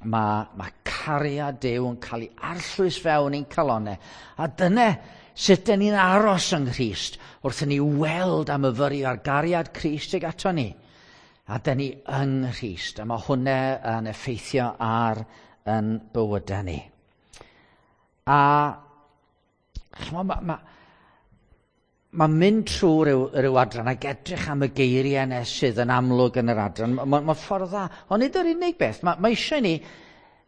Mae cariad Duw yn cael ei arllwys fewn i'n calonau. A dyna sut dyn ni'n aros yng Nghrist wrth i ni weld a myfyrio ar gariad Crist ag ato ni. A dyn ni yng Nghrist, a mae hwnna yn effeithio ar yn bywydau ni. A ch'mo', ma mynd trwy ryw adran ac edrych am y geiriau yna sydd yn amlwg yn yr adran, ma ffordd dda. Ond nid yr unig beth, mae eisiau ni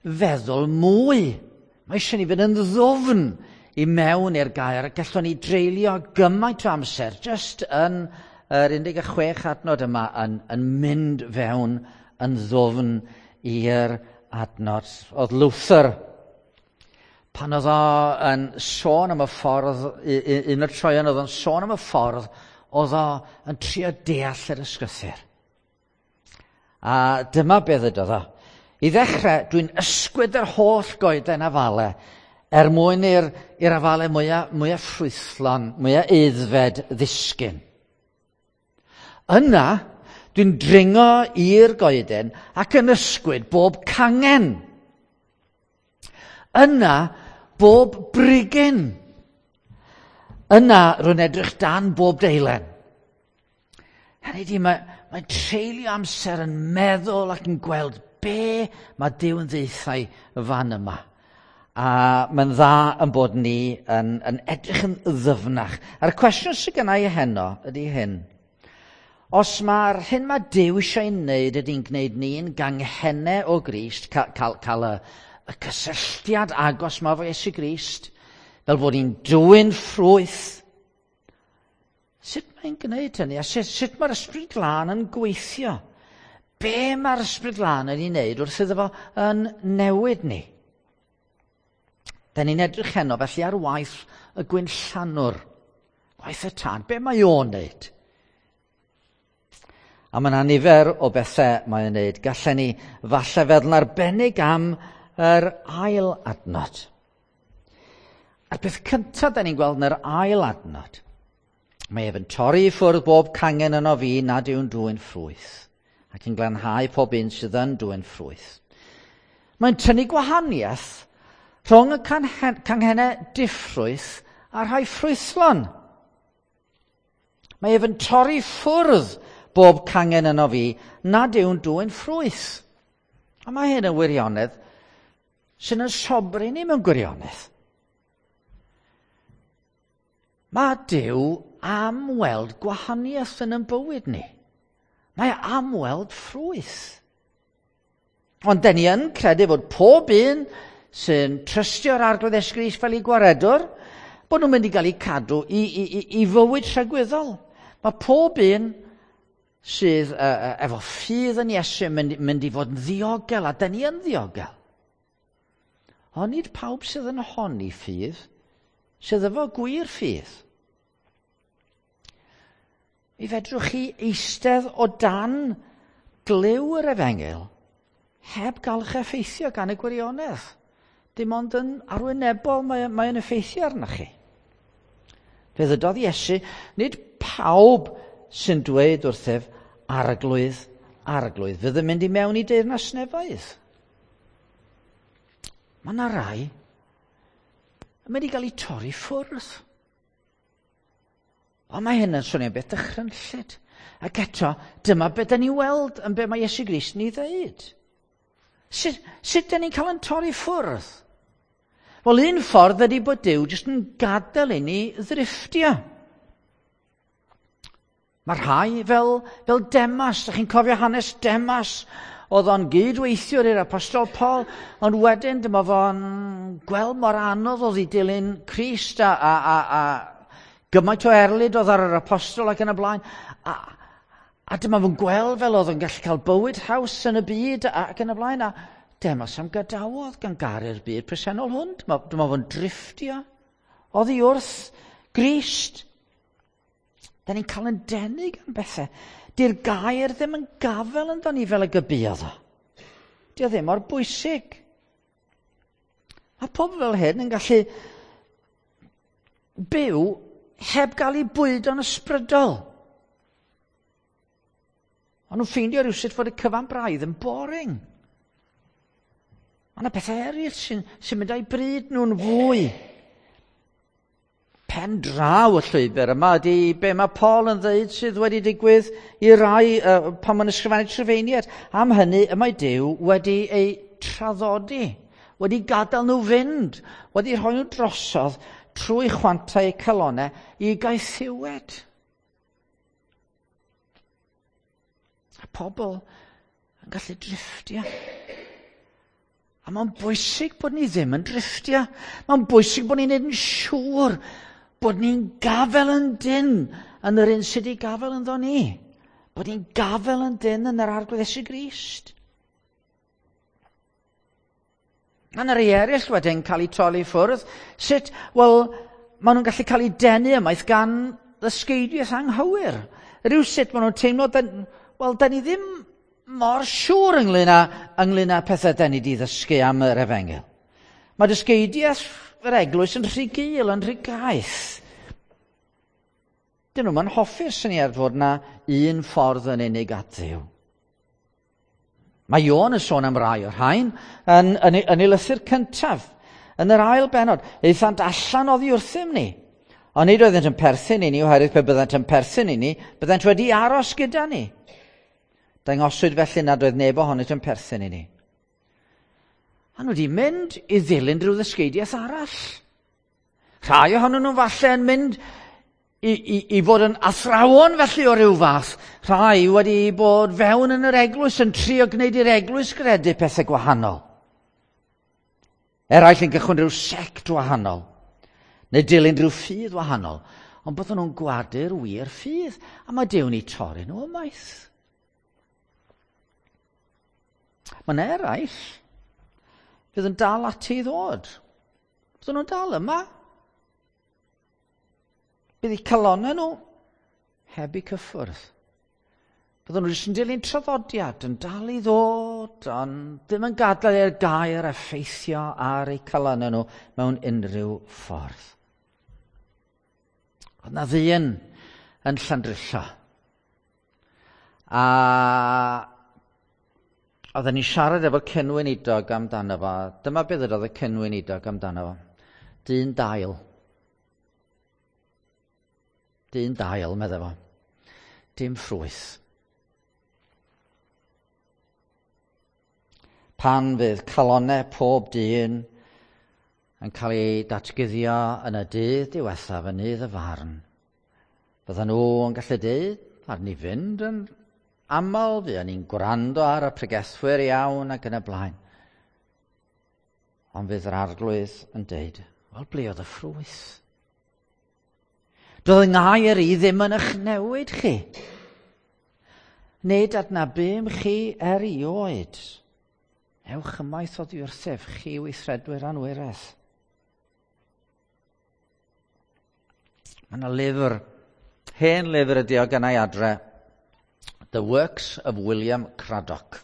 feddwl mwy. Mae eisiau ni fynd yn ddwfn i mewn i'r gair, a gallwn ni dreulio gymaint o amser jyst yn yr 16 adnod yma yn mynd fewn yn ddwfn i'r adnod. Oedd Luther, pan oedd o yn sôn am y ffordd, un o'r troion oedd o'n sôn am y ffordd, oedd o yn trio deall yr ysgrythur. A dyma beth ddudodd o. I ddechrau, dwi'n ysgwyd yr holl goeden afale er mwyn i'r afale mwyaf ffrwythlon, mwyaf aeddfed ddisgyn. Yna, dwi'n dringo i'r goeden ac yn ysgwyd bob cangen. Yna, bob brigyn. Yna, rwy'n edrych dan bob deilen. Hynny ydi, mae'n treulio amser yn meddwl ac yn gweld be mae Duw yn ddeutha i fan yma. A mae'n dda yn bod ni yn edrych yn ddyfnach. A'r cwestiwn sydd gynna i heno ydy hyn. Os mae'r hyn mae Duw eisiau ei wneud ydy'n gwneud ni'n ganghennau o Grist, cael y cysylltiad agos ma efo Iesu Grist, fel bod ni'n dwyn ffrwyth, sut mae'n gwneud hynny? A sut mae'r Ysbryd Glân yn gweithio? Be mae'r Ysbryd Glân yn ei wneud wrth iddo fo yn newid ni? Da ni'n edrych heno felly ar waith y gwinllanwr, gwaith y tân. Be mae o'n wneud? A mae yna nifer o bethau mae o'n wneud. Gallen ni falle feddwl yn arbennig am yr ail adnod. A'r peth cyntaf da ni'n gweld yn yr ail adnod, mae ef yn torri i ffwrdd bob cangen yno fi nad yw'n dwyn ffrwyth, ac yn glanhau pob un sydd yn dwyn ffrwyth. Mae'n tynnu gwahaniaeth rhwng y canghennau diffrwyth a rhai ffrwythlon. Mae ef yn torri ffwrdd bob cangen yno fi nad yw'n dwyn ffrwyth. A mae hyn yn wirionedd sy'n yn sobri ni mewn gwirionedd. Mae Duw am weld gwahaniaeth yn ein bywyd ni. Mae am weld ffrwyth. Ond dan ni yn credu fod pob un sy'n trystio'r Arglwydd Iesu Grist fel ei gwaredwr, bod nhw'n mynd i gael eu cadw i fywyd tragwyddol. Mae pob un sydd efo ffydd yn Iesu yn mynd i fod yn ddiogel, a dan ni yn ddiogel. Ond nid pawb sydd yn honni ffydd, sydd efo gwir ffydd. Mi fedrwch chi eistedd o dan glyw yr efengyl heb gael eich effeithio gan y gwirionedd. Dim ond yn arwynebol mae'n effeithio arnoch chi. Fe ddydodd Iesu, nid pawb sy'n dweud wrthyf, Arglwydd, Arglwydd, fydd yn mynd i mewn i deyrnas nefoedd. Mae yna rai yn mynd i gael eu torri ffwrdd. Ond mae hyn yn swnio'n beth dychrynllyd. Ac eto, dyma beth da ni weld yn be mae Iesu Grist yn ei ddeud. Sut da ni'n cael yn torri ffwrdd? Wel, un ffordd ydy bod Duw jyst yn gadael i ni ddrifftio. Mae rhai fel Demas, da chi'n cofio hanes Demas? Oedd o'n gydweithiwr i'r Apostol Paul, ond wedyn dyma fo'n gweld mor anodd oedd i dilyn Crist a gymaint o erlid oedd ar yr apostol ac yn y blaen. A dyma fo'n gweld fel oedd o'n gallu cael bywyd haws yn y byd ac yn y blaen. A Demas am gadawodd gan garu'r byd presennol hwn. Dyma fo'n drifftio oddi wrth Grist. Da ni'n cael yn denu gan bethau. Di'r gair ddim yn gafel ynddo ni fel y gybuodd o. Di o ddim mor bwysig. Mae pobl fel hyn yn gallu byw heb gael eu bwydo'n ysbrydol. Ond nhw'n ffeindio rhywsut fod y cyfan braidd yn boring. Mae yna pethau eraill sy'n mynd â'i bryd nhw'n fwy. Pen draw y llwybr yma ydy be mae Paul yn dweud sydd wedi digwydd i rai pan mae'n ysgrifennu Rhufeiniaid. Am hynny y mae Duw wedi eu traddodi, wedi gadael nhw fynd, wedi rhoi nhw drosodd trwy chwantau eu calonau i gaethiwed. A pobl yn gallu drifftio. A mae'n bwysig bod ni ddim yn drifftio. Mae'n bwysig bod ni'n neud yn siŵr bod ni'n gafel yn dyn yn yr un sydd wedi gafel ynddo ni. Bod ni'n gafel yn dyn yn yr Arglwydd Iesu Grist. A yna rei eraill wedyn cael eu troli ffwrdd. Sut? Wel, maen nhw'n gallu cael eu denu ymaith gan ddysgeidiaeth anghywir. Rhywsut maen nhw'n teimlo, wel, da ni ddim mor siŵr ynglyn â pethau da ni wedi ddysgu am yr efengyl. Mae dysgeidiaeth yr eglwys yn rhy gul, yn rhy gaeth. Dyn nhw'n hoffi'r syniad fod yna un ffordd yn unig at Dduw. Mae Ion yn sôn am rai o'r rhain yn ei lythyr cyntaf, yn yr ail bennod. Aethant allan oddi wrthym ni. Ond nid oeddent yn perthyn i ni, oherwydd pe byddent yn perthyn i ni, byddent wedi aros gyda ni. Dangoswyd felly nad oedd neb ohonynt yn perthyn i ni. A nhw wedi mynd i ddilyn rhyw ddysgeidiaeth arall. Rhai ohonyn nhw falle yn mynd i fod yn athrawon felly o ryw fath. Rhai wedi bod fewn yn yr eglwys yn trio gwneud i'r eglwys gredu pethau gwahanol. Eraill yn gychwyn rhyw sect wahanol, neu dilyn rhyw ffydd wahanol. Ond bydden nhw'n gwadu'r wir ffydd, a mae Duw'n eu torri nhw ymaith. Mae'n eraill fydd yn dal ati i ddod. Bydden nhw'n dal yma. Bydd eu calonnau nhw heb eu cyffwrdd. Bydden nhw jyst yn dilyn traddodiad, yn dal i ddod, ond ddim yn gadael i'r gair effeithio ar eu calonnau nhw mewn unrhyw ffordd. Oedd na ddyn yn Llandrillo. A oedden ni'n siarad efo'r cynweinidog amdano fo. Dyma beth oedd y cynweinidog amdano fo. Dyn dail. Dyn dail, medde fo. Dim ffrwyth. Pan fydd calonnau pob dyn yn cael ei datguddio yn y dydd diwethaf, yn nydd y farn, byddan nhw yn gallu dweud, ar ni fynd yn aml, fuon ni'n gwrando ar y pregethwyr iawn ac yn y blaen. Ond fydd yr Arglwydd yn dweud, wel, ble oedd y ffrwyth? Doedd yng ngair i ddim yn eich newid chi. Nid adnabum chi erioed. Ewch ymaith oddi wrthyf, chi weithredwyr anwiredd. Mae yna lyfr, hen lyfr ydi o gennau adre, The Works of William Cradock.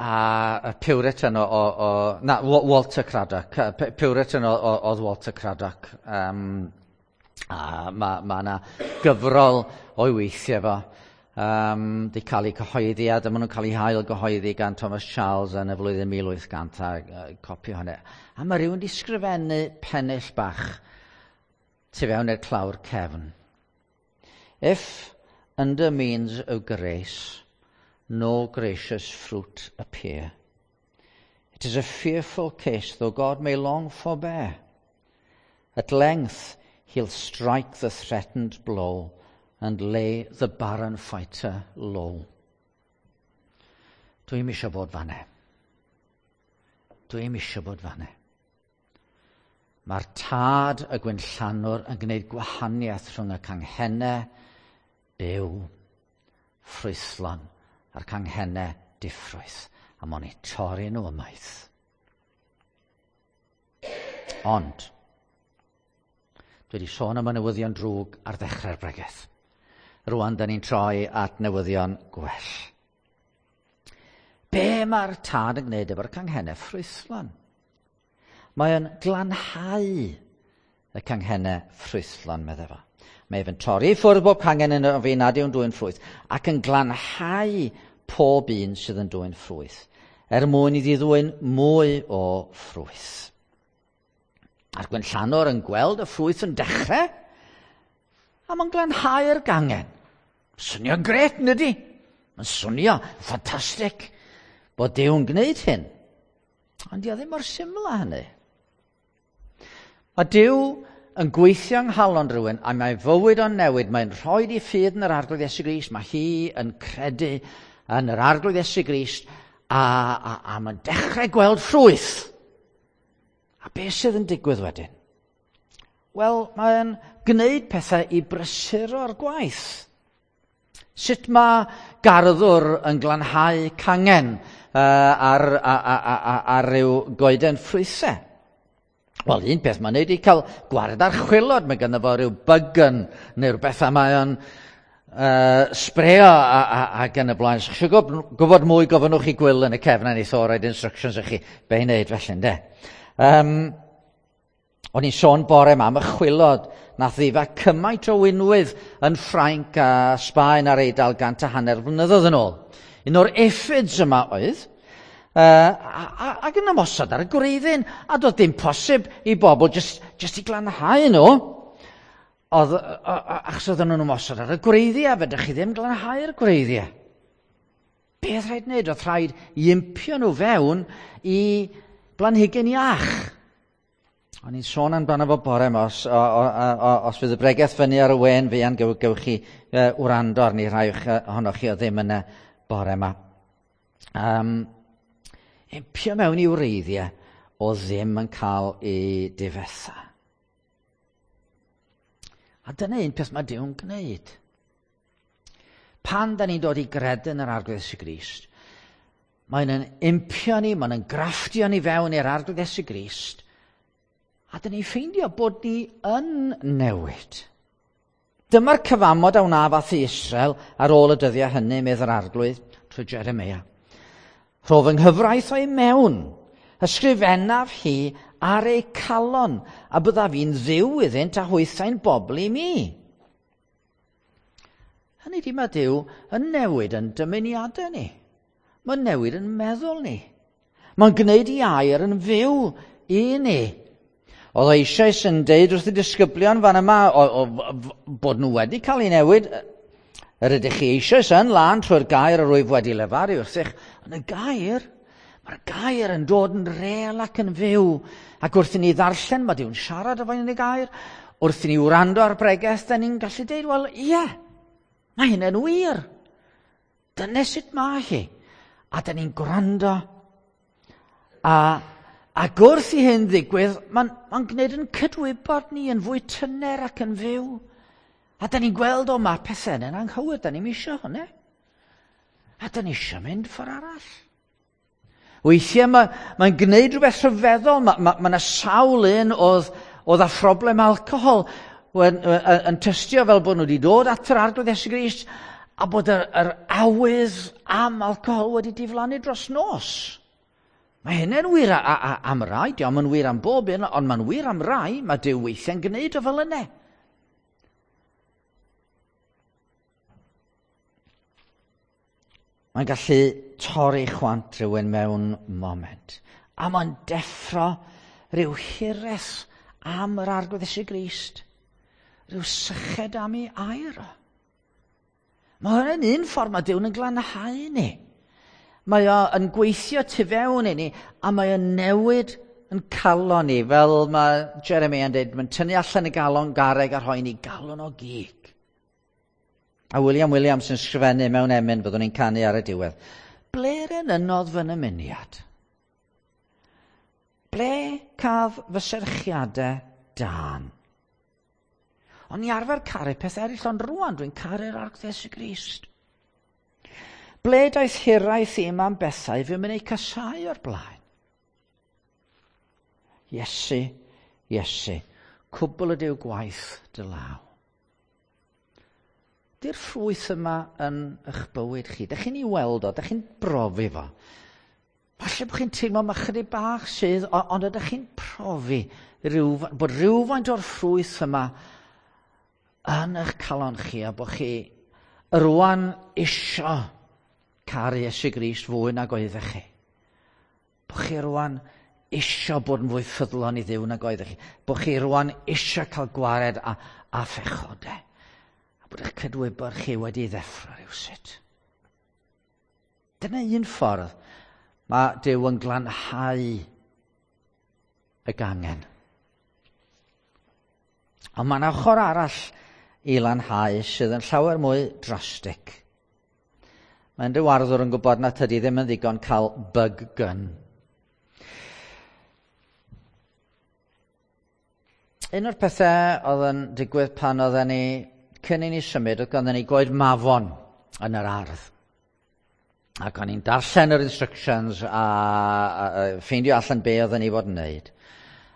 A Puritan o, Walter Craddock. Puritan oedd Walter Craddock. A mae yna gyfrol o'i weithiau fo. Di cael ei cyhoeddi a dyma nhw'n cael ei hail gyhoeddi gan Thomas Charles yn y flwyddyn 1800 a copi hwnna. A mae rhywun di sgrifennu pennill bach tu fewn i'r clawr cefn. If under means of grace no gracious fruit appear, it is a fearful case, though God may long forbear. At length he'll strike the threatened blow and lay the barren fighter low. Dwi'm eisiau bod fanne. Dwi'm eisiau bod fanne. Mae'r tad y gwynllanwr yn gwneud gwahaniaeth rhwng y canghennau byw, ffrwythlon, a'r canghennau diffrwyth, a mo'n eu torri nhw ymaith. Ond, dwi wedi sôn am y newyddion drwg ar ddechrau'r bregeth. Rwan, da ni'n troi at newyddion gwell. Be mae'r tad yn gwneud efo'r canghennau ffrwythlon? Mae o'n glanhau y canghennau ffrwythlon, medde fo. Mae efo'n torri i ffwrdd bob cangen yn fi nad yw'n dwyn ffrwyth, ac yn glanhau pob un sydd yn dwyn ffrwyth, er mwyn iddi ddwyn mwy o ffrwyth. A'r gwenllanwr yn gweld y ffrwyth yn dechrau, a mae'n glanhau'r gangen. Swnio'n gret, nid? Mae'n swnio ffantastig bod Duw yn gwneud hyn. Ond di o ddim mor syml â hynny. Mae Duw yn gweithio yng nghalon rhywun a mae fywyd o'n newid. Mae'n rhoi ei ffydd yn yr Arglwydd Iesu Grist. Mae hi yn credu yn yr Arglwydd Iesu Grist a mae'n dechrau gweld ffrwyth. A beth sydd yn digwydd wedyn? Wel, mae'n gwneud pethau i brysuro'r gwaith. Sut mae garddwr yn glanhau cangen ar ryw goeden ffrwythau? Wel, un peth mae'n neud i cael gwared ar chwilod. Mae ganddo fo ryw bygan neu rhywbeth a mae o'n sbreo ac yn y blaen. So, chi gwybod mwy, gofynnwch i Gwyl yn y cefn a neith o roid instructions i chi be i wneud felly, ynde? O'n i'n sôn bore yma am y chwilod nath ddifa cymaint o winwydd yn Ffrainc a Sbaen a'r Eidal 150 flynyddoedd yn ôl. Un o'r aphids yma oedd, ac yn ymosod ar y gwreiddyn, a doedd dim posib i bobl just i glanhau nhw, oedd, achos oedden nhw'n ymosod ar y gwreiddiau, fedrwch chi ddim glanhau'r gwreiddiau. Beth rhaid wneud? Oedd rhaid i impio nhw fewn i blanhigyn iach. O'n i'n sôn amdano fo bore yma, os fydd y bregeth fyny ar y wen fuan, gewch chi wrando arni rhai ohonoch chi o ddim yn y bore yma. Impio mewn i wreiddiau o ddim yn cael ei difetha. A dyna un peth mae Duw'n gwneud. Pan da ni'n dod i gredu yn yr Arglwydd Iesu Grist, mae'n yn impio ni, mae'n yn grafftio ni fewn i'r Arglwydd Iesu Grist, a dyn ni'n ffeindio bod ni yn newid. Dyma'r cyfamod a wnaf â thŷ Israel ar ôl y dyddiau hynny, medd yr Arglwydd, trwy Jeremia. Rho fy nghyfraith o'i mewn, ysgrifennaf hi ar eu calon, a byddaf fi'n ddiw iddynt a hwythau'n bobl i mi. Hynny di, mae Duw yn newid yn dymuniadau ni. Mae'n newid yn meddwl ni. Mae'n gwneud i air yn fyw i ni. Oedd o eisoes yn deud wrth y disgyblion fan yma bod nhw wedi cael ei newid. Yr ydych chi eisoes yn lân trwy'r gair yr wyf wedi lefaru wrthych. Ond y gair, mae'r gair yn dod yn rêl ac yn fyw. Ac wrth i ni ddarllen, mae Duw'n siarad efo ni yn y gair. Wrth i ni wrando ar bregeth, da ni'n gallu deud, wel, ie, mae hynny'n wir. Dyna sut mae hi. A da ni'n gwrando. Ac wrth i hyn ddigwydd, mae'n gwneud yn cydwybod ni yn fwy tyner ac yn fyw. A da ni'n gweld, o, mae pethau yn anghywir, da ni'n isio hwnna. A da ni isio mynd ffordd arall. Weithiau mae'n gwneud rhywbeth rhyfeddol. Mae yna sawl un oedd â phroblem alcohol yn tystio fel bod nhw wedi dod at yr Arglwydd Iesu Grist a bod yr awydd am alcohol wedi diflannu dros nos. Mae hynny'n wir am rai, diolch yn wir am bob un, ond mae'n wir am rai, mae Duw weithiau'n gwneud o fel yna. Mae'n gallu torri chwant rhywun mewn moment. A mae'n deffro rhyw hiraeth am yr Arglwydd Iesu Grist. Rhyw syched am ei air o. Mae hwnna'n un ffordd mae Duw'n yn glanhau ni. Mae o yn gweithio tu fewn i ni, a mae o'n newid yn calon ni, fel mae Jeremiah yn dweud, mae'n tynnu allan y galon garreg a rhoi ni galon o gig. A William Williams yn sgrifennu mewn emyn, byddwn ni'n canu ar y diwedd. Ble'r enynnodd fy nymuniad? Ble caf fy serchiadau dân? O'n i arfer caru peth eraill, ond rŵan dwi'n caru'r Arglwydd Iesu Grist. Ble daeth hiraeth i'm am bethau fy mynd eu casáu o'r blaen? Iesu, Iesu, cwbl ydyw gwaith dy law. Di'r ffrwyth yma yn eich bywyd chi. Dych chi'n ei weld o, dych chi'n brofi fo. Falle bod chi'n teimlo mae chydig bach sydd, ond ydych chi'n profi bod rhywfaint o'r ffrwyth yma yn eich calon chi a bod chi rwan isio caru Iesu Grist fwy nag oeddech chi. Bod chi rwan isio bod yn fwy ffyddlon i Dduw nag oeddech chi. Bod chi rwan isio cael gwared a phechodau. A bod eich cydwybod chi wedi ddeffro rhywsut. Dyna un ffordd mae Duw yn glanhau y gangen. Ond mae yna ochr arall i lanhau sydd yn llawer mwy drastig. Mae unrhyw arddwr yn gwybod na tydi ddim yn ddigon cael bug gun. Un o'r pethau oedd yn digwydd pan oedden ni, cyn i ni symud, oedd ganddyn ni goed mafon yn yr ardd. Ac o'n i'n darllen yr instructions a ffeindio allan be oedden ni fod yn wneud.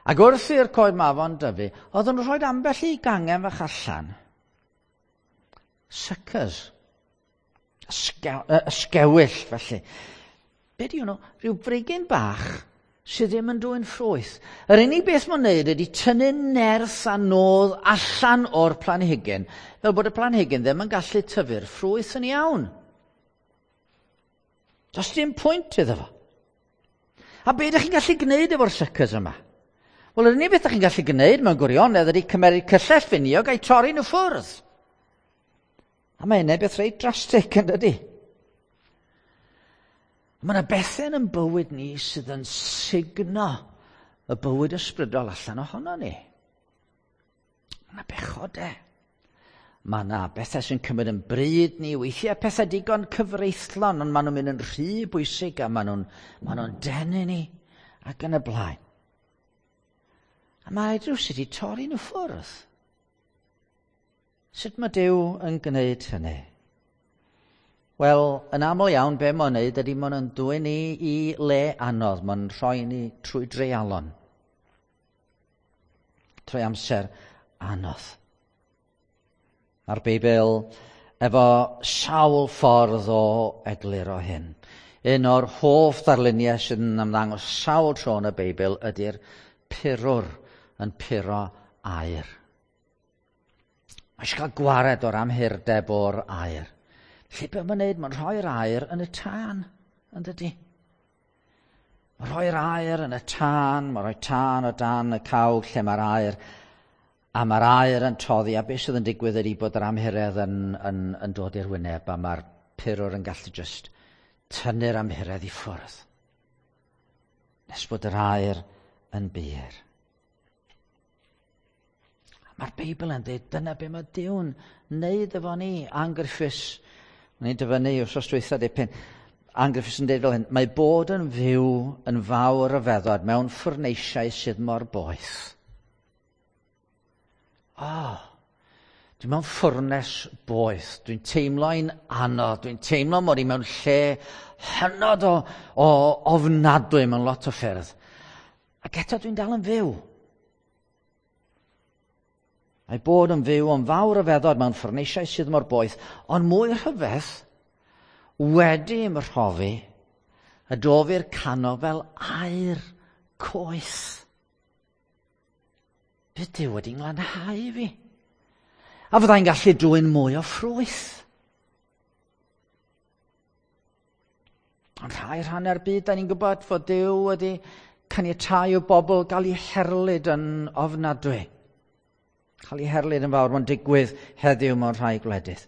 Ac wrth i'r coed mafon dyfu, oedden nhw'n rhoi ambell i gangen fach allan. Suckers. Ysgewyll, felly. Be di hwnnw? Rhyw frigyn bach sydd ddim yn dwyn ffrwyth. Yr unig beth mae'n wneud ydy tynnu nerth a nodd allan o'r planhigyn, fel bod y planhigyn ddim yn gallu tyfu'r ffrwyth yn iawn. Does dim pwynt iddo fo. A be ydych chi'n gallu gwneud efo'r suckers yma? Wel, yr unig beth ydych chi'n gallu gwneud mewn gwirionedd ydy cymeryd cyllell finiog a'i torri nhw ffwrdd. A mae hynny'n beth reit drastig, yn dydy? Mae yna bethau yn bywyd ni sydd yn sugno y bywyd ysbrydol allan ohono ni. Mae yna bechodau. Mae yna bethau sy'n cymryd yn bryd ni, weithiau pethau digon cyfreithlon, ond maen nhw'n mynd yn rhy bwysig a maen nhw'n denu ni ac yn y blaen. A mae rhywsut i torri nhw ffwrdd. Sut mae Duw yn gwneud hynny? Wel, yn aml iawn, be mae'n wneud ydy mae'n dwyn ni i le anodd, mae'n rhoi ni trwy dreialon. Trwy amser anodd. Mae'r Beibl efo sawl ffordd o egluro hyn. Un o'r hoff ddarluniau sydd yn ymddangos sawl tro yn y Beibl ydy'r purwr yn puro aer. Mae eisiau cael gwared o'r amhurdeb o'r aer. Felly be mae'n wneud? Mae'n rhoi'r aer yn y tân, yn dydy? Mae'n rhoi'r aer yn y tân, mae'n rhoi tân o dan y cawg lle mae'r aer, a mae'r aer yn toddi, a beth sydd yn digwydd ydy bod yr amhuredd yn dod i'r wyneb, a mae'r purwr yn gallu just tynnu'r amhuredd i ffwrdd. Nes bod yr aer yn bur. Mae'r Beibl yn dweud, dyna be mae Duw'n wneud efo ni. Ann Griffiths, o'n i'n dyfynnu wrthos dwytha dipyn, Ann Griffiths yn dweud fel hyn, mae bod yn fyw yn fawr ryfeddod mewn ffwrneisiau sydd mor boeth. Dwi mewn ffwrnes boeth, dwi'n teimlo'n anodd, dwi'n teimlo mod i mewn lle hynod o ofnadwy mewn lot o ffyrdd. Ac eto dwi'n dal yn fyw. Mae bod yn fyw yn fawr ryfeddod mewn ffwrneisiau sydd mor boeth, ond mwy rhyfedd, wedi ymrhofi, y dof i'r canol fel aer coeth. Bydd Duw wedi nglanhau fi. A fyddai'n gallu dwyn mwy o ffrwyth. Ond rhai rhannau'r byd, da ni'n gwybod fod Duw wedi caniatáu o bobl gael eu herlid yn ofnadwy. Cael ei herlid yn fawr, mae'n digwydd heddiw mewn rhai gwledydd.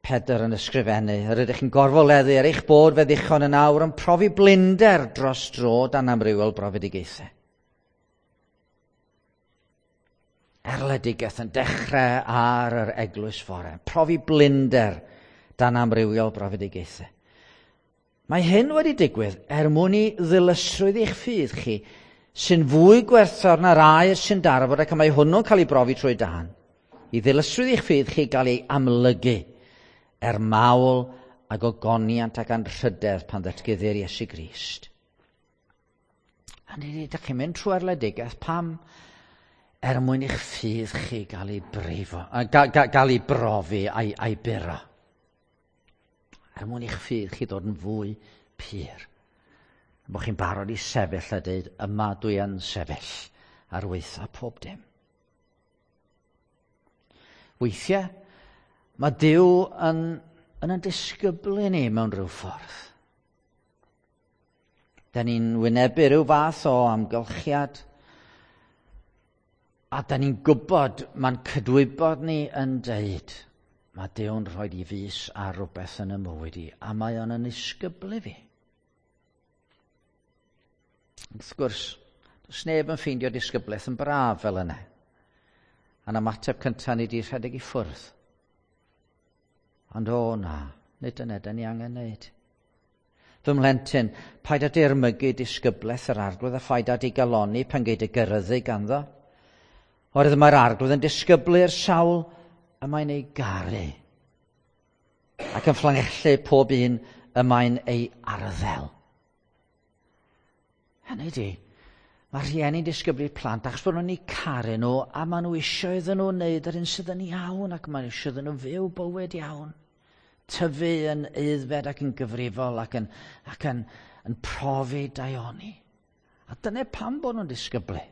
Pedr yn ysgrifennu, yr ydych chi'n gorfoleddu er eich bod fe ddichon yn awr yn profi blinder dros dro dan amrywiol brofedigaethau. Erledigaeth yn dechrau ar yr eglwys fore, profi blinder dan amrywiol brofedigaethau. Mae hyn wedi digwydd er mwyn i ddilysrwydd eich ffydd chi sy'n fwy gwerthfawr na'r aur sy'n darfod ac mae hwnnw'n cael ei brofi trwy dân. I ddilysrwydd eich ffydd chi gael ei amlygu er mawl a gogoniant ac anrhydedd pan ddatguddir Iesu Grist. A ni, ydych chi'n mynd trwy erledigaeth, pam? Er mwyn i'ch ffydd chi gael ei brifo, gael ei brofi a'i buro. Er mwyn i'ch ffydd chi ddod yn fwy pur. Bod chi'n barod i sefyll a dweud, yma dwi yn sefyll ar weitha pob dim. Weithiau, mae Duw yn yn yn disgyblu ni mewn rhyw ffordd. Da ni'n wynebu rhyw fath o amgylchiad, a da ni'n gwybod, mae'n cydwybod ni yn deud, mae Duw'n rhoi i fus ar rhywbeth yn y mywyd i, a mae o'n yn isgyblu fi. Wrth gwrs, does neb yn ffeindio disgyblaeth yn braf fel yna. A'n ymateb cyntaf ni di rhedeg i ffwrdd. Ond o na, nid yna da ni angen wneud. Fy mhlentyn, paid â dirmygu disgyblaeth yr arglwydd a phaid â digalonni pan gei dy gyrryddu ganddo. Oherwydd mae'r arglwydd yn disgyblu'r sawl y mae'n ei garu ac yn fflangellu pob un y mae'n ei arddel. Hynny ydi, mae rhieni'n disgyblu plant achos bod nhw'n eu caru nhw a maen nhw eisiau iddyn nhw wneud yr hyn sydd yn iawn ac maen nhw eisiau iddyn nhw fyw bywyd iawn. Tyfu yn aeddfed ac yn gyfrifol ac yn, ac yn, yn profi daioni. A dyna pam bod nhw'n disgyblu.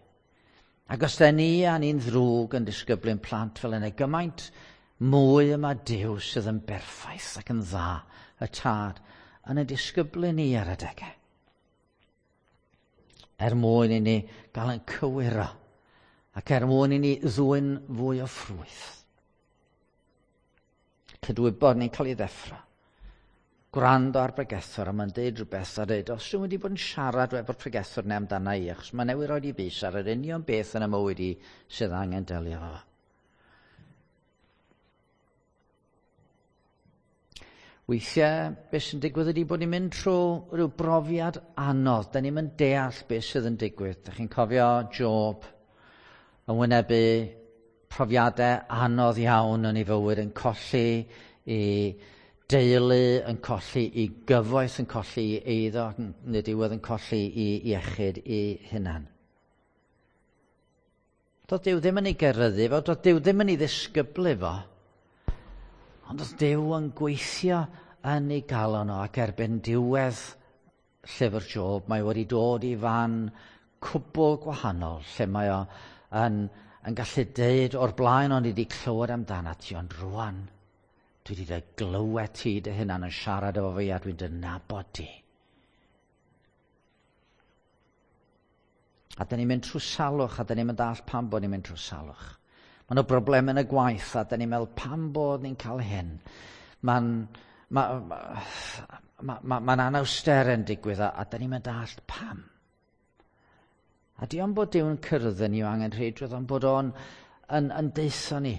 Ac os da ni a ni'n ddrwg yn disgyblu'n plant fel yna, gymaint mwy yma Duw sydd yn berffaith ac yn dda, y tad, yn y disgyblu ni ar adegau. Er mwyn i ni gael yn cywiro ac er mwyn i ni ddwyn fwy o ffrwyth. Cydwybod ni'n cael ei ddeffro. Gwrando ar bregethwr a mae'n deud rhywbeth a dweud, os dwi'n wedi bod yn siarad efo'r pregethwr neu amdana i, achos mae newydd roed i bys ar yr union beth yn y mywyd i sydd angen delio efo. Weithiau, beth sy'n digwydd ydy bod ni'n mynd trwy rhyw brofiad anodd. Da ni'n mynd deall beth sydd yn digwydd. Da chi'n cofio Job yn wynebu profiadau anodd iawn yn ei fywyd, yn colli i deulu, yn colli i gyfoeth, yn colli i eiddo, ac yn y diwedd yn colli i iechyd i hunan. Doedd Duw ddim yn ei geryddu fo, doedd Duw ddim yn ei ddisgyblu fo, ond oedd Duw yn gweithio yn ei galon o ac erbyn diwedd llyfr Job, mae wedi dod i fan cwbl gwahanol, lle mae o yn, yn gallu deud o'r blaen o'n i wedi clywed amdano ti, ond rwan dwi wedi dy glywed ti dy hunan yn siarad efo fi a dwi'n dy nabod ti. A da ni'n mynd trwy salwch, a da ni'n mynd all pam bod ni'n mynd trwy salwch. Mae nhw broblem yn y gwaith, a da ni'n meddwl pam bod ni'n cael hyn. Mae'n ma, ma, ma, ma, ma anawster yn digwydd, a, a da ni'n mynd all pam. A di ond bod Duw'n cyrraedd ni o angen rheidrwydd, ond bod o'n yn, yn deutho ni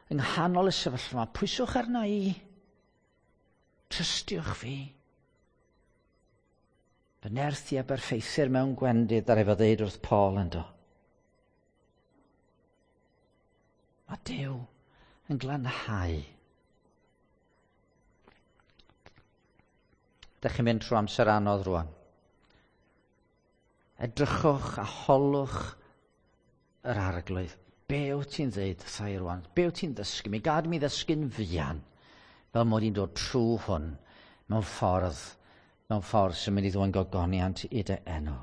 yng nghanol y sefyllfa yma, pwyswch arna i, trystiwch fi. Fy nerth i a berffeithir mewn gwendid ar efo ddeud wrth Paul yn do. Mae Duw yn glanhau. Dych chi'n mynd trwy amser anodd rwan. Edrychwch a holwch yr arglwydd. Be wyt ti'n dweud wrtha i rwan? Be wyt ti'n ddysgu mi? Gad mi ddysgu'n fuan fel mod i'n dod trwy hwn mewn ffordd, mewn ffordd sy'n mynd i ddwyn gogoniant i dy enw.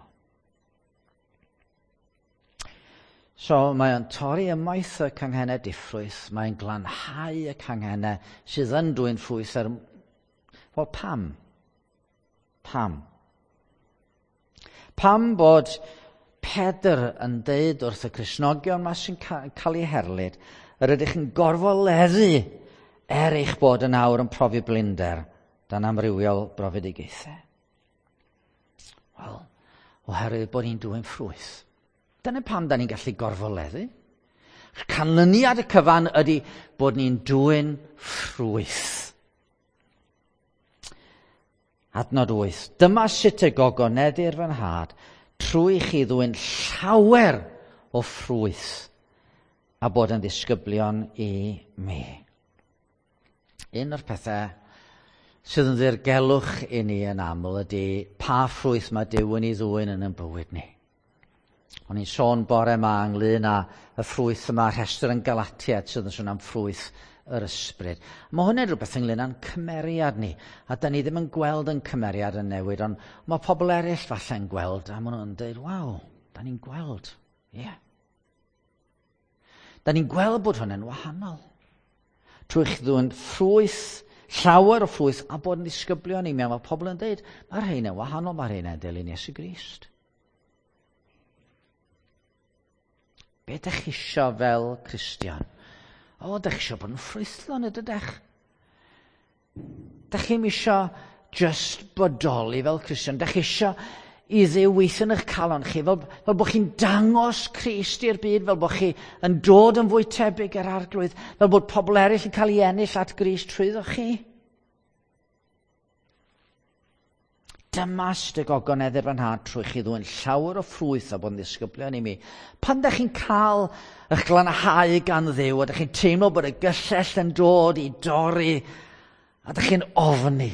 So mae o'n torri ymaith y canghennau diffrwyth, mae'n glanhau y canghennau sydd yn dwyn ffrwyth ar... Wel, pam? Pam? Pam bod Pedr yn deud wrth y Cristnogion yma sy'n cael eu herlid, yr ydych yn gorfoleddu er eich bod yn awr yn profi blinder dan amrywiol brofedigaethau? Wel, oherwydd bod ni'n dwyn ffrwyth. Dyna pam da ni'n gallu gorfoleddu. Canlyniad y cyfan ydy bod ni'n dwyn ffrwyth. Adnod 8. Dyma sut y gogoneddir fy nhad, trwy chi ddwyn llawer o ffrwyth a bod yn ddisgyblion i mi. Un o'r pethau sydd yn ddirgelwch i ni yn aml ydy pa ffrwyth mae Duw yn ei ddwyn yn ein bywyd ni. O'n i'n sôn bore yma ynglyn â y ffrwyth yma, rhestr yn Galatiad sydd yn sôn am ffrwyth yr ysbryd. Mae hwnna'n rhywbeth ynglyn â'n cymeriad ni, a da ni ddim yn gweld yn cymeriad yn newid, ond mae pobl eraill falle'n gweld, a maen nhw'n dweud, waw, da ni'n gweld, ie. Yeah. Da ni'n gweld bod hwnna'n wahanol. Trwy chi ddwyn ffrwyth llawer o ffrwyth a bod yn ddisgyblion i mi. A mae pobl yn dweud, mae'r rhain yn wahanol, mae'r rhain yn dilyn Iesu Grist. Be ydych chi isio fel Cristion? O, ydych chi isio bod yn ffrwythlon, ydych? Dych chi'm isio just bodoli fel Cristion. Dych chi isio i Dduw weithio yn eich calon chi, fel bod chi'n dangos Crist i'r byd, fel bod chi yn dod yn fwy tebyg i'r Arglwydd, fel bod pobl eraill yn cael ei ennill at Grist trwyddo chi. Dyma sut y gogoneddir fy nhad trwy chi ddwyn llawer o ffrwyth a bod yn ddisgyblion i mi. Pan ydych chi'n cael eich glanhau gan Dduw, a ydych chi'n teimlo bod y gyllell yn dod i dorri, a ydych chi'n ofni,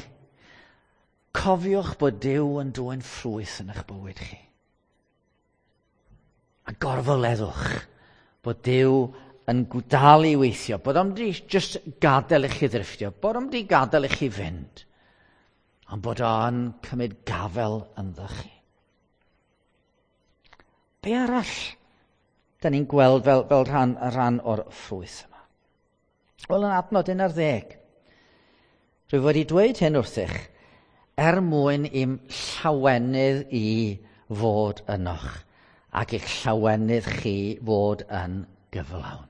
cofiwch bod Duw yn dwyn ffrwyth yn eich bywyd chi. A gorfoleddwch bod Duw yn dal i weithio, bod o'm di just gadael i chi ddrifftio, bod o'm di gadael i chi fynd, ond bod o'n cymryd gafel ynddo chi. Be arall da ni'n gweld fel rhan o'r ffrwyth yma? Wel, yn adnod 11, rwyf wedi dweud hyn wrthych, er mwyn i'm llawenydd i fod ynoch, ac i'ch llawenydd chi fod yn gyflawn.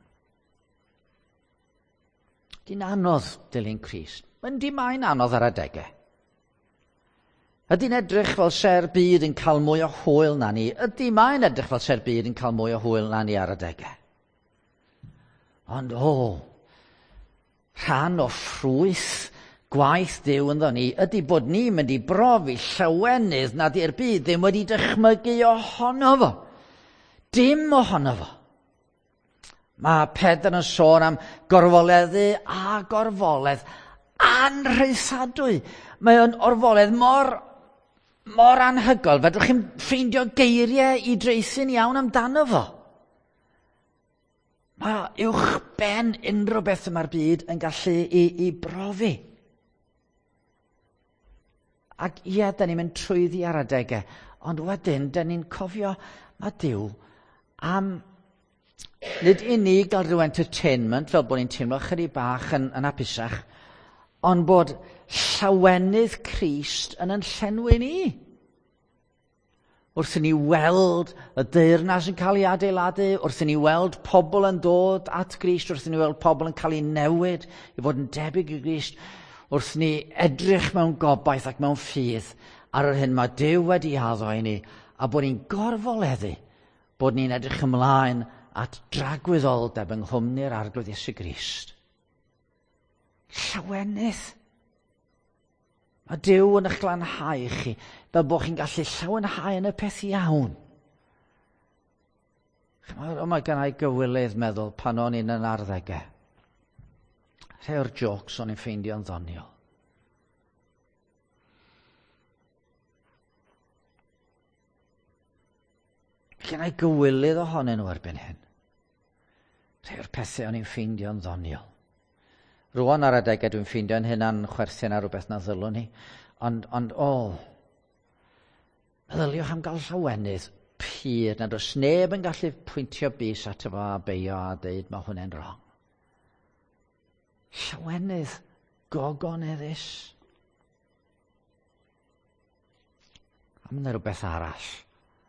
Di'n anodd dilyn Crist. Yndi, mae'n anodd ar adegau. Ydy'n edrych fel se'r byd yn cael mwy o hwyl na ni? Ydy, mae'n edrych fel se'r byd yn cael mwy o hwyl na ni ar adegau. Ond o, rhan o ffrwyth gwaith Duw ynddo ni ydy bod ni'n mynd i brofi llawenydd nad yw'r byd ddim wedi dychmygu ohono fo. Dim ohono fo. Mae Pedr yn sôn am gorfoleddu a gorfoledd anrhaethadwy. Mae o'n orfoledd mor anhygoel, fedrwch chi'n ffeindio geiriau i draethu'n iawn amdano fo. Mae uwch ben unrhyw beth yma'r byd yn gallu i brofi. Ac ie, da ni'n mynd trwyddi ar adegau, ond wedyn, da ni'n cofio, mae Duw am nid i ni gael rhyw entertainment, fel bod ni'n teimlo chydig bach yn hapusach, ond bod llawenydd Crist yn llenwi ni. Wrth i ni weld y deyrnas yn cael ei adeiladu, wrth i ni weld pobl yn dod at Grist, wrth i ni weld pobl yn cael ei newid i fod yn debyg i Grist, wrth ni edrych mewn gobaith ac mewn ffydd ar yr hyn mae Duw wedi addo i ni, a bod ni'n gorfoleddu, bod ni'n edrych ymlaen at dragwyddoldeb yng nghwmni'r Arglwydd Iesu Grist. Llawenydd. Mae Duw yn eich glanhau chi, fel bod chi'n gallu llawenhau yn y peth iawn. Chimod, o, mae gennai gywilydd meddwl pan o'n i'n yn arddegau. Rhai o'r jokes o'n i'n ffeindio'n ddoniol. Gennai gywilydd ohonyn nhw erbyn hyn. Rhai o'r pethau o'n i'n ffeindio'n ddoniol. Rwan ar adegau dwi'n ffeindio'n hynna'n chwerthin ar rhywbeth na ddylwn ni. Ond o, meddyliwch am gael llawenydd pur nad oes neb yn gallu pwyntio bys ato fo a beio a deud mae hwnna'n wrong. Llawenydd gogoneddus. A mae yna rhywbeth arall.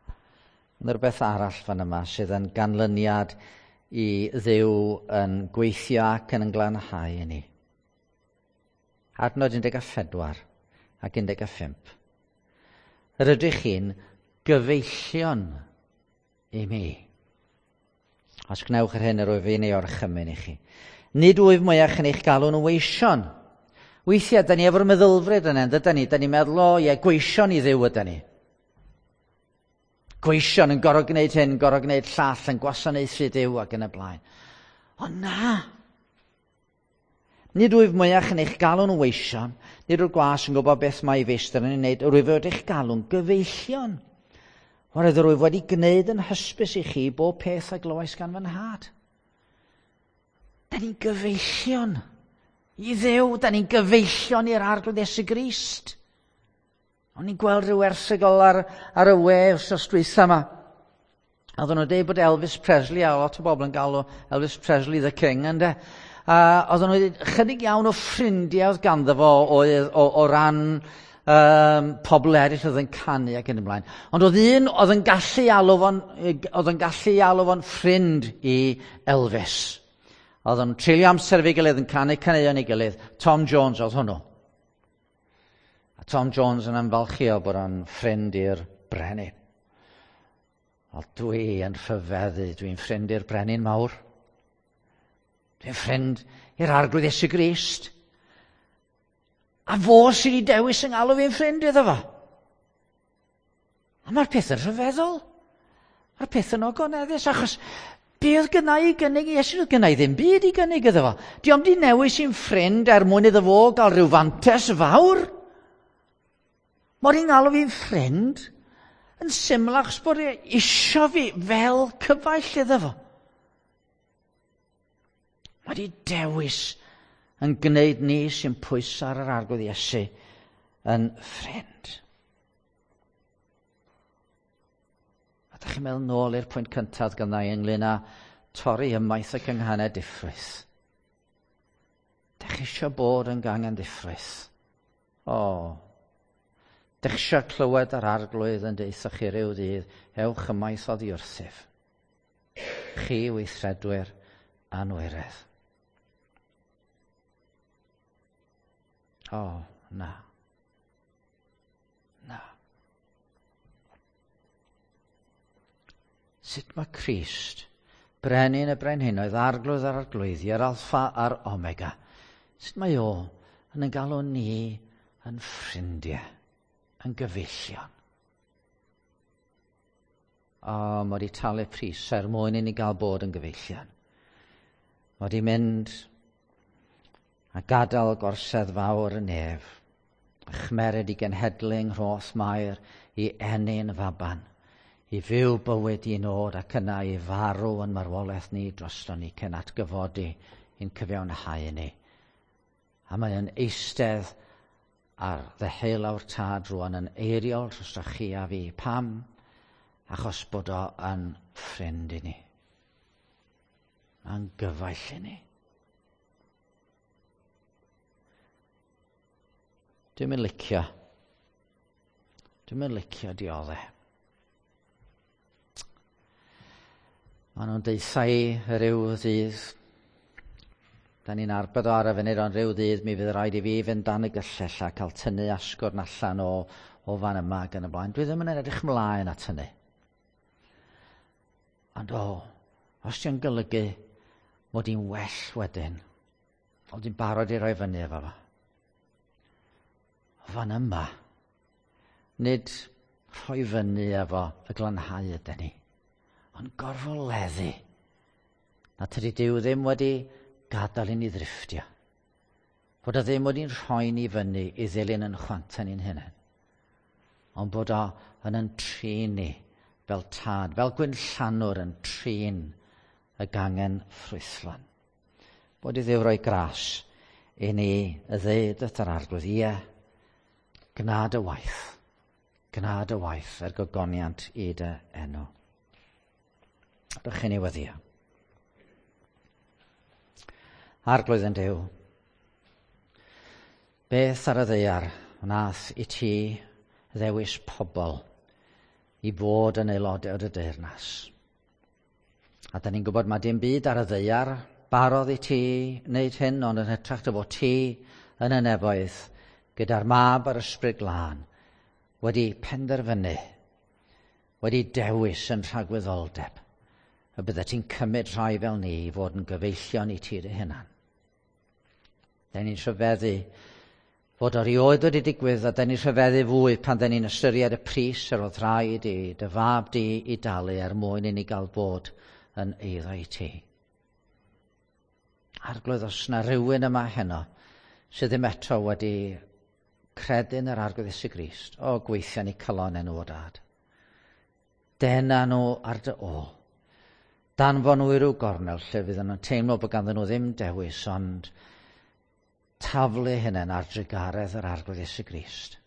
Mae yna rhywbeth arall fan yma sydd yn ganlyniad i Dduw yn gweithio ac yn glanhau i ni. Adnod 14 ac 15. Yr ydych chi'n gyfeillion i mi. Os gwnewch yr hyn yr wyf fi'n ei orchymyn i chi. Nid wyf mwyach yn eich galw'n weision. Weithiau, da ni efo'r meddylfryd yna, dyda ni? Da ni'n meddwl, o ie, gweision i Dduw yda ni. Gweision yn gorfod gwneud hyn, gorfod gwneud llall, yn gwasanaethu Duw ac yn y blaen. Ond na! Nid wyf mwyach yn eich galw'n weision, nid yw'r gwas yn gwybod beth mae ei feistr yn ei wneud, yr wyf wedi eich galw'n gyfeillion. Oherwydd yr wyf wedi gwneud yn hysbys i chi bob peth a glywais gan fy nhad. Da ni'n gyfeillion i Dduw, da ni'n gyfeillion i'r Arglwydd Iesu Grist. O'n i'n gweld rhyw erthygl ar y we wythnos dwytha yma. A oedden nhw'n dweud bod Elvis Presley, a lot o bobl yn galw Elvis Presley the King, ynde? A oedden nhw chydig iawn o ffrindiau oedd ganddo fo oedd o ran pobl eraill oedd yn canu ac yn y blaen. Ond oedd un oedd yn gallu alw fo'n, oedd yn gallu alw fo'n ffrind i Elvis. Oedd o'n treulio amser efo'i gilydd yn canu caneuon ei gilydd. Tom Jones oedd hwnnw. A Tom Jones yn ymfalchio bod o'n ffrind i'r brenin. O, dwi yn rhyfeddu, dwi'n ffrind i'r brenin mawr. Dwi'n ffrind i'r Arglwydd Iesu Grist. A fo sydd wedi dewis yng ngalw fi'n ffrind iddo fo. A mae'r peth yn rhyfeddol. Mae'r peth yn ogoneddus, achos be oedd gynna i gynnig i Iesu? Oedd gynna i ddim byd i gynnig iddo fo. Di o'm di newis i'n ffrind er mwyn iddo fo gael rhyw fantes fawr. Mae'r un galw fi'n ffrind yn syml achos bod e isio fi fel cyfaill iddo fo. Mae di dewis yn gwneud ni sy'n pwyso ar yr Arglwydd Iesu yn ffrind. A da chi'n meddwl nôl i'r pwynt cyntaf gynna i ynglyn â torri ymaith y cynghanau diffrwyth. Da chi eisiau bod yn gangen diffrwyth? O, da chi eisiau clywed yr Arglwydd yn deutha chi ryw ddydd, ewch ymaith oddi wrthyf. Chi weithredwyr anwiredd. O, na. Na. Sut mae Crist, brenin y brenhinoedd, arglwydd yr arglwyddi, yr alffa a'r omega, sut mae o yn ein galw ni yn ffrindiau, yn gyfeillion? O, mae wedi talu pris er mwyn i ni gael bod yn gyfeillion. Mae wedi mynd a gadael gorsedd fawr y nef, a chmered i genhedlu yng nghroth Mair i ennyn faban, i fyw bywyd i nod ac yna i farw yn marwolaeth ni drosto ni cyn atgyfodi i'n cyfiawnhau ni. A mae yn eistedd ar ddeheulaw'r tad rwan yn eiriol drosto chi a fi. Pam? Achos bod o yn ffrind i ni. Mae'n gyfaill i ni. Dwi'n mynd licio. Dwi'n mynd licio dioddau. Maen nhw'n deutha i ryw ddydd. Da ni'n arbed o ar y funud, ond ryw ddydd mi fydd rhaid i fi fynd dan y gyllell a cael tynnu asgwrn allan o fan yma ac yn y blaen. Dwi ddim yn edrych mlaen at hynny. Ond o, os ti'n golygu mod i'n well wedyn, ond i'n barod i roi fyny efo fo. O fan yma, nid rhoi fyny efo y glanhau ydyn ni, ond gorfoleddu. Na tydi Duw ddim wedi gadael i ni ddrifftio. Bod o ddim wedi'n rhoi ni fyny i ddilyn yn chwantau ni'n hunain. Ond bod o yn yn trin ni fel tad, fel gwynllanwr yn trin y gangen ffrwythlon. Bod i Dduw roi gras i ni y ddeud wrth yr Arglwydd, ie, gna dy waith, gna dy waith er gogoniant i dy enw. Rydych chi'n ei weddio. Arglwydd yn Duw, beth ar y ddaear wnaeth i ti ddewis pobl i fod yn aelodau o dy deyrnas? A da ni'n gwybod mae dim byd ar y ddaear barodd i ti wneud hyn, ond yn hytrach dy fod ti yn y nefoedd gyda'r Mab a'r Ysbryd Glân wedi penderfynu, wedi dewis yn rhagwyddoldeb, y bydde ti'n cymryd rhai fel ni i fod yn gyfeillion i ti dy hunan. Da ni'n rhyfeddu fod o rioed wedi digwydd, a da ni'n rhyfeddu fwy pan da ni'n ystyried y pris yr oedd rhaid i dy fab di i dalu er mwyn i ni gael bod yn eiddo i ti. Arglwydd, os na rhywun yma heno sydd ddim eto wedi credu yn yr Arglwydd Iesu Grist, o, gweithio ni calon enw o dad. Dena nhw ar dy ôl. Danfon nhw i ryw gornel lle fydden nhw'n teimlo bod ganddyn nhw ddim dewis, ond taflu hynny'n ar drugaredd yr Arglwydd Iesu Grist.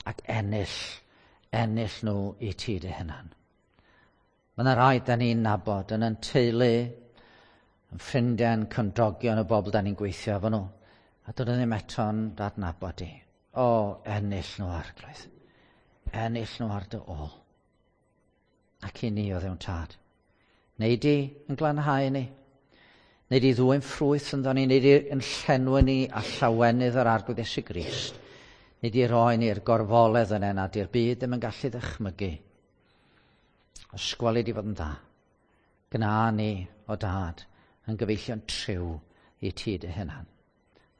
Ac ennill nhw i ti dy hunan. Mae yna rai da ni'n nabod yn ein teulu, Yn ffrindiau'n cymdogion y bobl da ni'n gweithio efo nhw. A dod ddim eto'n adnabod di. O, ennill nhw, Arglwydd. Ennill nhw ar dy ôl. Ac i ni o Dduw'n Tad. Neu di yn glanhau ni. Neu di ddwyn ffrwyth ynddo ni. Neu di yn llenwi ni a llawenydd yr Arglwydd Iesu Grist. Neu di roi ni'r gorfoledd yna nad i'r byd ddim yn gallu ddychmygu. Ysgweli di fod yn dda. Gna ni o Dad yn gyfeillion triw i ti dy hunan.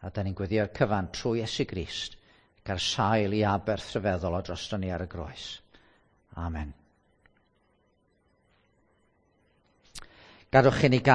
A da ni'n gweddio'r cyfan trwy Iesu Grist gael sail i aberth rhyfeddol o drosto ni ar y groes. Amen. Gadwch i ni gael